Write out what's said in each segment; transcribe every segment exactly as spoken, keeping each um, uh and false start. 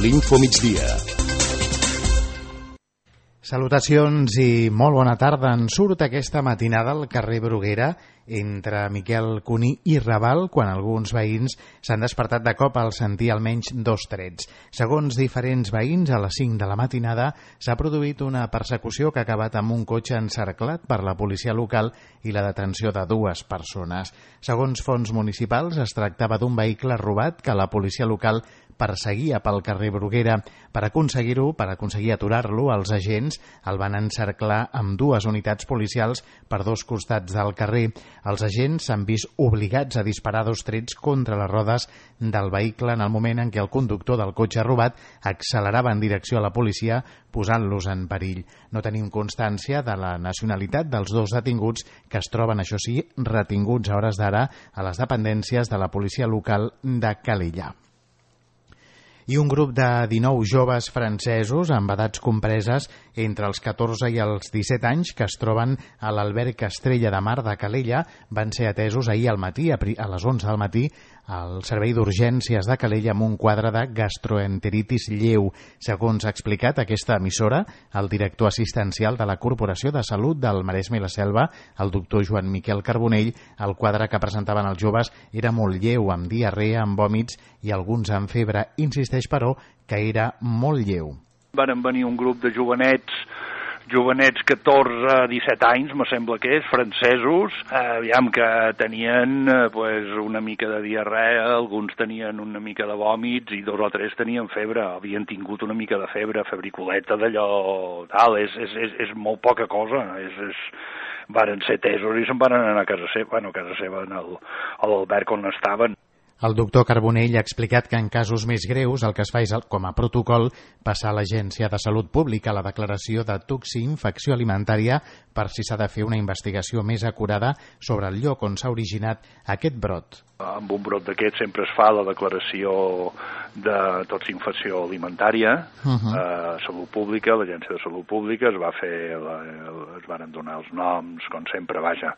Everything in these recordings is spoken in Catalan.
l'Infomigdia. Salutacions i molt bona tarda. En surt aquesta matinada al carrer Bruguera entre Miquel Cuní i Raval quan alguns veïns s'han despertat de cop al sentir almenys dos trets. Segons diferents veïns, a les cinc de la matinada s'ha produït una persecució que ha acabat amb un cotxe encerclat per la policia local i la detenció de dues persones. Segons fonts municipals, es tractava d'un vehicle robat que la policia local perseguia pel carrer Bruguera. Per aconseguir-ho, per aconseguir aturar-lo, els agents el van encerclar amb dues unitats policials per dos costats del carrer. Els agents s'han vist obligats a disparar dos trets contra les rodes del vehicle en el moment en què el conductor del cotxe robat accelerava en direcció a la policia, posant-los en perill. No tenim constància de la nacionalitat dels dos detinguts, que es troben, això sí, retinguts a hores d'ara a les dependències de la policia local de Calella. I un grup de dinou joves francesos amb edats compreses entre els catorze i els disset anys que es troben a l'alberg Estrella de Mar de Calella van ser atesos ahir al matí, a les onze del matí, al servei d'urgències de Calella amb un quadre de gastroenteritis lleu. Segons ha explicat aquesta emissora, el director assistencial de la Corporació de Salut del Maresme i la Selva, el doctor Joan Miquel Carbonell, el quadre que presentaven els joves era molt lleu, amb diarrea, amb vòmits i alguns amb febre. Insisteix, però, que era molt lleu. Van venir un grup de jovenets jovenets catorze a disset anys, me sembla que és, francesos, eh, aviam que tenien eh, pues, una mica de diarrea, alguns tenien una mica de vòmits i dos o tres tenien febre, havien tingut una mica de febre, febriculeta d'allò, tal, és, és, és, és molt poca cosa, és, és, varen ser tesos i se'n van anar a casa seva, bueno, a casa seva, a l'alberg on estaven. El doctor Carbonell ha explicat que en casos més greus el que es fa és, com a protocol, passar a l'Agència de Salut Pública la declaració de toxi-infecció alimentària per si s'ha de fer una investigació més acurada sobre el lloc on s'ha originat aquest brot. Amb un brot d'aquest sempre es fa la declaració de toxi-infecció alimentària, uh-huh. a Salut Pública, l'Agència de Salut Pública, es va fer, la, es van donar els noms, com sempre, vaja,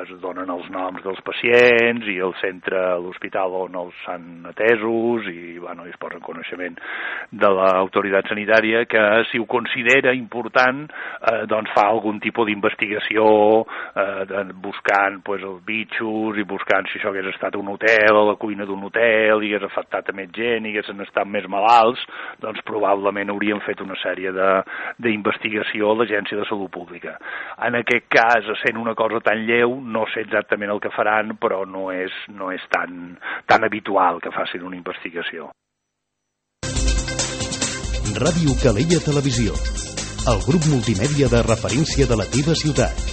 es donen els noms dels pacients i el centre, l'hospital on els han atesos i, bueno, es posa en coneixement de l'autoritat sanitària que, si ho considera important, eh, doncs fa algun tipus d'investigació eh, de, buscant pues, els bitxos i buscant si això hagués estat un hotel, a la cuina d'un hotel, i hagués afectat a més gent, i haguessin estat més malalts, doncs probablement haurien fet una sèrie d'investigació a l'Agència de Salut Pública. En aquest cas, sent una cosa tan lleu, no sé exactament el que faran, però no és, no és tan, tan habitual que facin una investigació. Ràdio Calella Televisió, el grup multimèdia de referència de la teva ciutat.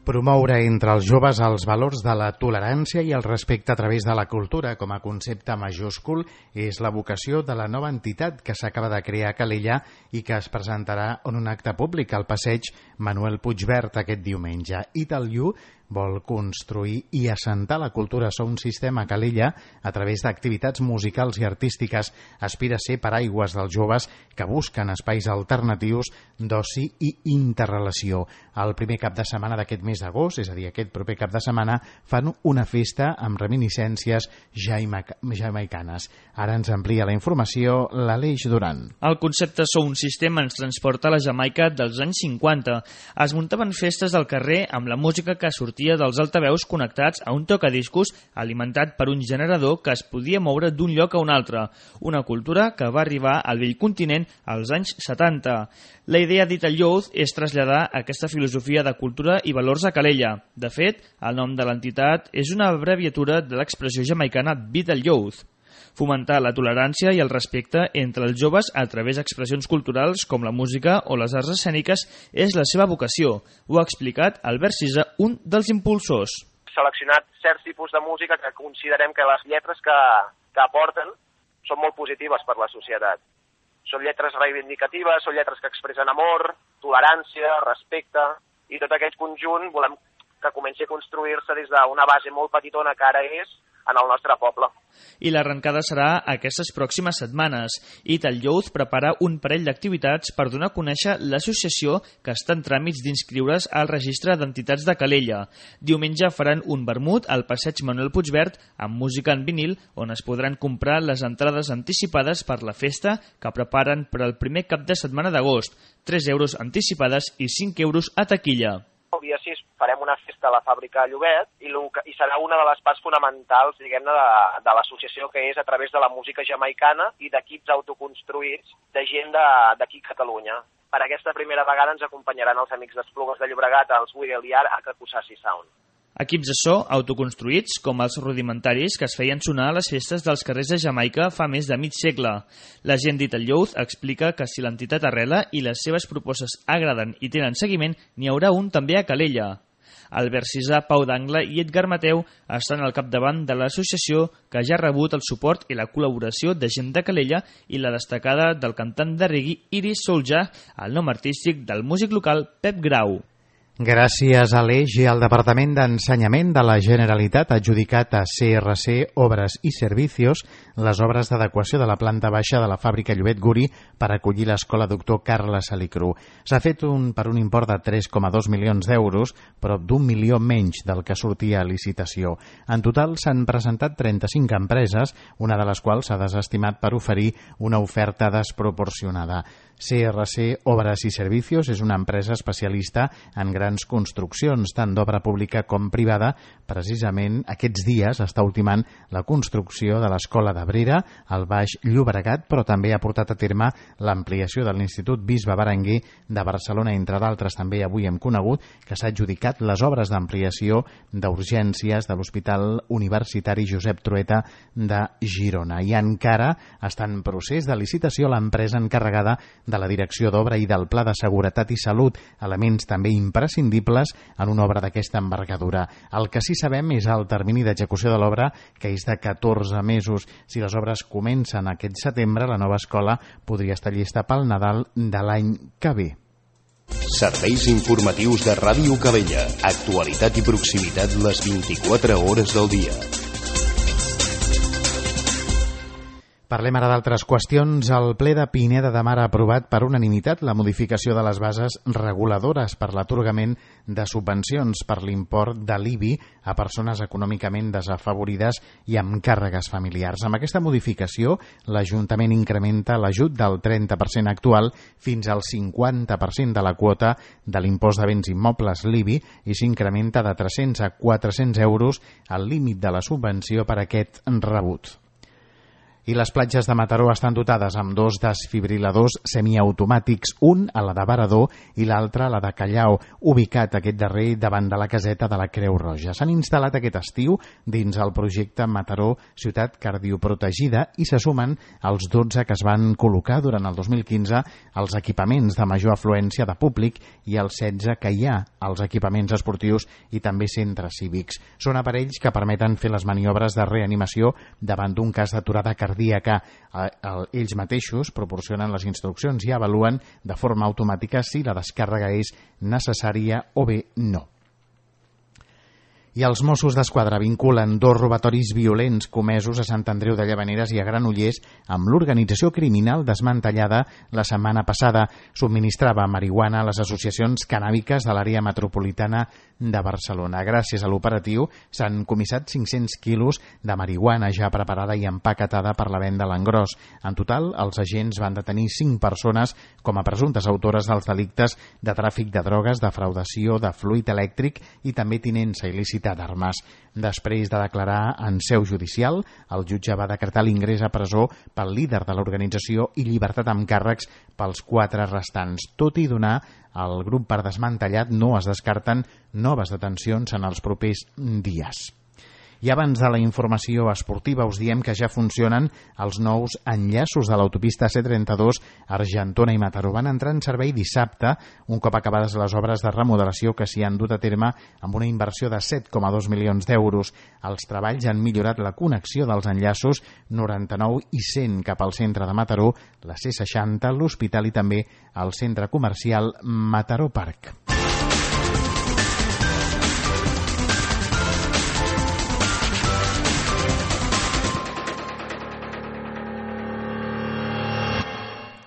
Promoure entre els joves els valors de la tolerància i el respecte a través de la cultura com a concepte majúscul és la vocació de la nova entitat que s'acaba de crear a Calella i que es presentarà en un acte públic al passeig Manuel Puigvert aquest diumenge. Italiu vol construir i assentar la cultura Sound System a Calella a través d'activitats musicals i artístiques. Aspira a ser paraigües dels joves que busquen espais alternatius d'oci i interrelació. El primer cap de setmana d'aquest mes d'agost, és a dir, aquest proper cap de setmana, fan una festa amb reminiscències jamaicanes. Ara ens amplia la informació l'Aleix Duran. El concepte Sound System ens transporta a la Jamaica dels anys cinquanta. Es muntaven festes al carrer amb la música que sortia dels altaveus connectats a un tocadiscos alimentat per un generador que es podia moure d'un lloc a un altre, una cultura que va arribar al vell continent als anys setanta. La idea d'Ital Youth és traslladar aquesta filosofia de cultura i valors a Calella. De fet, el nom de l'entitat és una abreviatura de l'expressió jamaicana Vital Youth. Fomentar la tolerància i el respecte entre els joves a través d'expressions culturals com la música o les arts escèniques és la seva vocació. Ho ha explicat Albert Cisa, un dels impulsors. Seleccionat certs tipus de música que considerem que les lletres que, que aporten són molt positives per la societat. Són lletres reivindicatives, són lletres que expressen amor, tolerància, respecte, i tot aquest conjunt volem que comenci a construir-se des d'una base molt petitona que ara és, en el nostre poble. I l'arrencada serà aquestes pròximes setmanes. Ital Youth prepara un parell d'activitats per donar a conèixer l'associació que està en tràmits d'inscriure's al registre d'entitats de Calella. Diumenge faran un vermut al passeig Manuel Puigverd amb música en vinil, on es podran comprar les entrades anticipades per la festa que preparen per al primer cap de setmana d'agost. tres euros anticipades i cinc euros a taquilla. El dia sis farem una festa a la fàbrica de Llobet i, i serà una de les parts fonamentals, diguem-ne, de, de l'associació, que és a través de la música jamaicana i d'equips autoconstruïts de gent d'aquí a Catalunya. Per aquesta primera vegada ens acompanyaran els amics d'Esplugues de Llobregat, els Wiggle Yard, a Kakusasi Sound. Equips de so autoconstruïts, com els rudimentaris que es feien sonar a les festes dels carrers de Jamaica fa més de mig segle. La gent d'Ital Youth explica que si l'entitat arrela i les seves propostes agraden i tenen seguiment, n'hi haurà un també a Calella. Albert Cisà, Pau d'Angle i Edgar Mateu estan al capdavant de l'associació, que ja ha rebut el suport i la col·laboració de gent de Calella i la destacada del cantant de reggae Iris Soulja, el nom artístic del músic local Pep Grau. Gràcies a l'Eix i al Departament d'Ensenyament de la Generalitat ha adjudicat a C R C Obres i Servicios les obres d'adequació de la planta baixa de la fàbrica Llobet Guri per acollir l'escola doctor Carles Salicru. S'ha fet un, per un import de tres coma dos milions d'euros, prop d'un milió menys del que sortia a licitació. En total s'han presentat trenta-cinc empreses, una de les quals s'ha desestimat per oferir una oferta desproporcionada. C R C Obres i Servicios és una empresa especialista en grans construccions, tant d'obra pública com privada. Precisament aquests dies està ultimant la construcció de l'Escola d'Abrera, al Baix Llobregat, però també ha portat a terme l'ampliació de l'Institut Bisbe Berenguer de Barcelona, entre d'altres. També avui hem conegut que s'ha adjudicat les obres d'ampliació d'urgències de l'Hospital Universitari Josep Trueta de Girona. I encara està en procés de licitació l'empresa encarregada de la direcció d'obra i del pla de seguretat i salut, elements també imprescindibles en una obra d'aquesta envergadura. El que sí sabem és el termini d'execució de l'obra, que és de catorze mesos. Si les obres comencen aquest setembre, la nova escola podria estar llista pel Nadal de l'any que ve. Serveis informatius de Ràdio Calella. Actualitat i proximitat les vint-i-quatre hores del dia. Parlem ara d'altres qüestions. El ple de Pineda de Mar ha aprovat per unanimitat la modificació de les bases reguladores per l'atorgament de subvencions per l'import de l'I B I a persones econòmicament desafavorides i amb càrregues familiars. Amb aquesta modificació, l'Ajuntament incrementa l'ajut del trenta per cent actual fins al cinquanta per cent de la quota de l'impost de béns immobles l'I B I i s'incrementa de tres-cents a quatre-cents euros el límit de la subvenció per aquest rebut. I les platges de Mataró estan dotades amb dos desfibriladors semiautomàtics, un a la de Varador i l'altre a la de Callao, ubicat aquest darrer davant de la caseta de la Creu Roja. S'han instal·lat aquest estiu dins el projecte Mataró Ciutat Cardioprotegida i se sumen als dotze que es van col·locar durant el dos mil quinze als equipaments de major afluència de públic i els setze que hi ha als equipaments esportius i també centres cívics. Són aparells que permeten fer les maniobres de reanimació davant d'un cas d'aturada cardíaca cardíaca. Ells mateixos proporcionen les instruccions i avaluen de forma automàtica si la descàrrega és necessària o bé no. I els Mossos d'Esquadra vinculen dos robatoris violents comesos a Sant Andreu de Llavaneres i a Granollers amb l'organització criminal desmantellada la setmana passada. Subministrava marihuana a les associacions cannàbiques de l'àrea metropolitana de Barcelona. Gràcies a l'operatiu s'han comissat cinc-cents quilos de marihuana ja preparada i empaquetada per la venda a l'engròs. En total, els agents van detenir cinc persones com a presumptes autores dels delictes de tràfic de drogues, defraudació de fluid elèctric i també tinença il·lícita d'armes. Després de declarar en seu judicial, el jutge va decretar l'ingrés a presó pel líder de l'organització i llibertat amb càrrecs pels quatre restants. Tot i donar el grup per desmantellat, no es descarten noves detencions en els propers dies. I abans de la informació esportiva us diem que ja funcionen els nous enllaços de l'autopista C trenta-dos Argentona i Mataró. Van entrar en servei dissabte, un cop acabades les obres de remodelació que s'hi han dut a terme amb una inversió de set coma dos milions d'euros. Els treballs han millorat la connexió dels enllaços noranta-nou i cent cap al centre de Mataró, la C seixanta, l'hospital i també el centre comercial Mataró Park.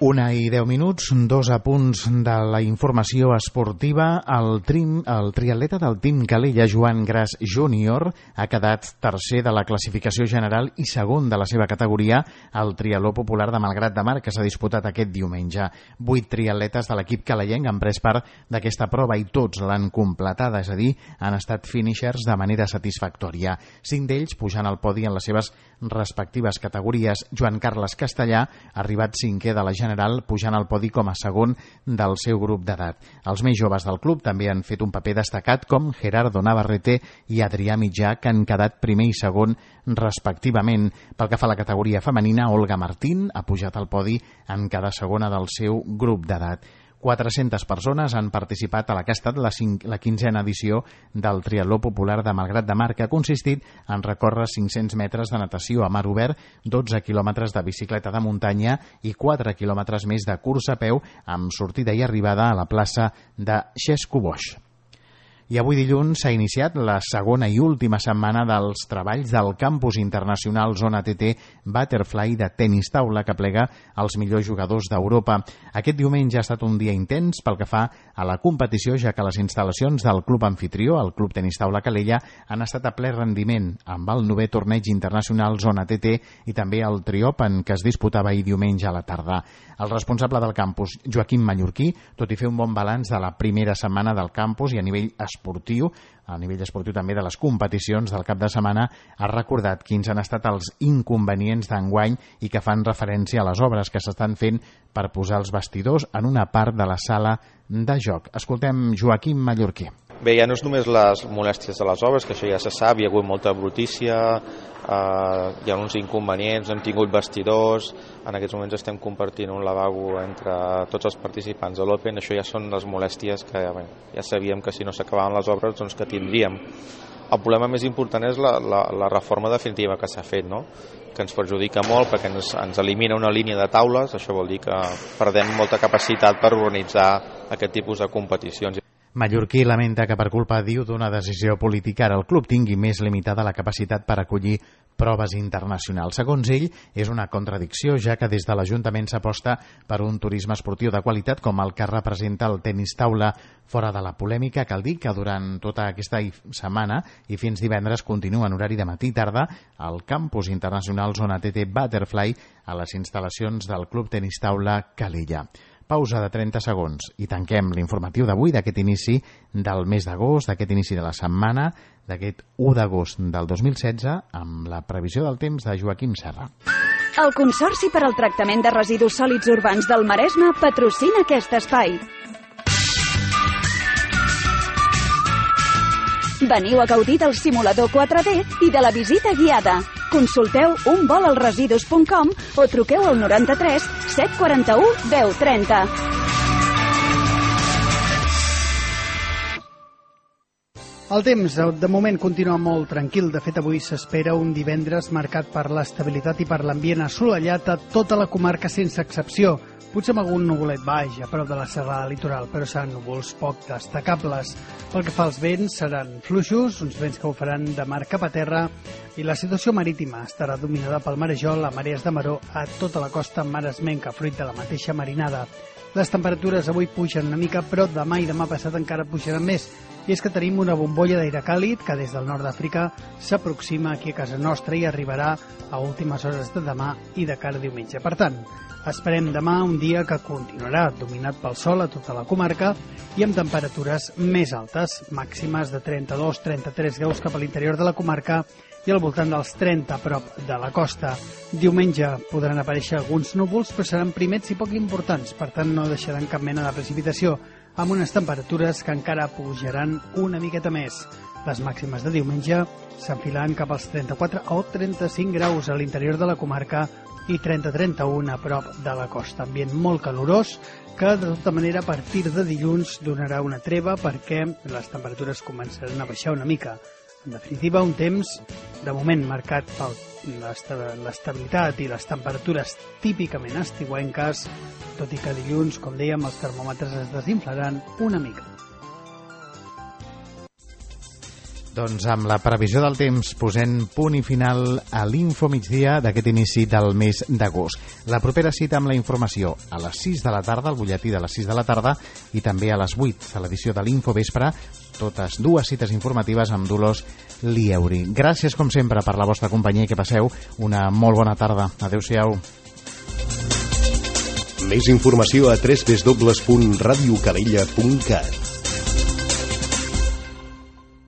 Una i deu minuts, dos apunts de la informació esportiva. El, trim, el triatleta del Team Calella, Joan Gras júnior, ha quedat tercer de la classificació general i segon de la seva categoria al triatló popular de Malgrat de Mar, que s'ha disputat aquest diumenge. Vuit triatletes de l'equip calellenc han pres part d'aquesta prova i tots l'han completada, és a dir, han estat finishers de manera satisfactòria. Cinc d'ells pujant al podi en les seves respectives categories. Joan Carles Castellà ha arribat cinquè de la general, pujant al podi com a segon del seu grup d'edat. Els més joves del club també han fet un paper destacat, com Gerardo Navarrete i Adrià Mitjà, que han quedat primer i segon respectivament. Pel que fa a la categoria femenina, Olga Martín ha pujat al podi en cada segona del seu grup d'edat. quatre-centes persones han participat a la que ha estat la, cinc, la quinzena edició del triatló popular de Malgrat de Mar, que ha consistit en recórrer cinc-cents metres de natació a mar obert, dotze quilòmetres de bicicleta de muntanya i quatre quilòmetres més de cursa a peu amb sortida i arribada a la plaça de Xesco-Boix. I avui dilluns s'ha iniciat la segona i última setmana dels treballs del Campus Internacional Zona T T Butterfly de tenis taula, que plega els millors jugadors d'Europa. Aquest diumenge ha estat un dia intens pel que fa a la competició, ja que les instal·lacions del club anfitrió, el Club Tenis Taula Calella, han estat a ple rendiment amb el novè torneig internacional Zona T T i també el Triopen, que es disputava ahir diumenge a la tarda. El responsable del campus, Joaquim Mallorquí, tot i fer un bon balanç de la primera setmana del campus i a nivell esportiu, a nivell esportiu també de les competicions del cap de setmana, ha recordat quins han estat els inconvenients d'enguany i que fan referència a les obres que s'estan fent per posar els vestidors en una part de la sala de joc. Escoltem Joaquim Mallorquí. Bé, ja no és només les molèsties de les obres, que això ja se sap, hi ha hagut molta brutícia, eh, hi ha uns inconvenients, hem tingut vestidors, en aquests moments estem compartint un lavabo entre tots els participants de l'Open, això ja són les molèsties que ja, bé, ja sabíem que si no s'acabaven les obres doncs que tindríem. El problema més important és la, la, la reforma definitiva que s'ha fet, no? Que ens perjudica molt perquè ens, ens elimina una línia de taules, això vol dir que perdem molta capacitat per organitzar aquest tipus de competicions. Mallorquí lamenta que per culpa, diu, d'una decisió política ara el club tingui més limitada la capacitat per acollir proves internacionals. Segons ell, és una contradicció, ja que des de l'Ajuntament s'aposta per un turisme esportiu de qualitat com el que representa el tenis taula. Fora de la polèmica, cal dir que durant tota aquesta setmana i fins divendres continua en horari de matí i tarda al Campus Internacional Zona T T Butterfly a les instal·lacions del Club Tenis Taula Calella. Pausa de trenta segons i tanquem l'informatiu d'avui, d'aquest inici del mes d'agost, d'aquest inici de la setmana, d'aquest u d'agost del dos mil setze, amb la previsió del temps de Joaquim Serra. El Consorci per al Tractament de Residus Sòlids Urbans del Maresme patrocina aquest espai. Veniu a gaudir del simulador quatre D i de la visita guiada. Consulteu un vol al residus punt com o truqueu al noranta-tres set quaranta-u deu trenta. El temps, de moment, continua molt tranquil. De fet, avui s'espera un divendres marcat per l'estabilitat i per l'ambient assolellat a tota la comarca sense excepció. Potser amb algun nuvolet baix a prop de la serrada litoral, però seran núvols poc destacables. Pel que fa als vents, seran fluixos, uns vents que ho faran de mar cap a terra, i la situació marítima estarà dominada pel marejol a marees de maró a tota la costa maresmenca, fruit de la mateixa marinada. Les temperatures avui pugen una mica, però demà i demà passat encara pujaran més. I és que tenim una bombolla d'aire càlid que des del nord d'Àfrica s'aproxima aquí a casa nostra i arribarà a últimes hores de demà i de cara a diumenge. Per tant, esperem demà un dia que continuarà dominat pel sol a tota la comarca i amb temperatures més altes, màximes de trenta-dos a trenta-tres graus cap a l'interior de la comarca i al voltant dels trenta a prop de la costa. Diumenge podran aparèixer alguns núvols, però seran primets i poc importants, per tant no deixaran cap mena de precipitació, amb unes temperatures que encara pujaran una miqueta més. Les màximes de diumenge s'enfilaran cap als trenta-quatre o trenta-cinc graus a l'interior de la comarca i trenta a trenta-un a prop de la costa. Ambient molt calorós que, de tota manera, a partir de dilluns donarà una treva perquè les temperatures començaran a baixar una mica. En definitiva, un temps, de moment, marcat per l'estabilitat i les temperatures típicament estiuenques, tot i que dilluns, com dèiem, els termòmetres es desinflaran una mica. Doncs amb la previsió del temps posem punt i final a l'Info Migdia d'aquest inici del mes d'agost. La propera cita amb la informació a les sis de la tarda, el butlletí de les sis de la tarda, i també a les vuit a l'edició de l'Info Vespre, totes dues cites informatives amb Dolors Lieuri. Gràcies, com sempre, per la vostra companyia i que passeu una molt bona tarda. Adéu-siau. Més informació a w w w punt radio calella punt cat.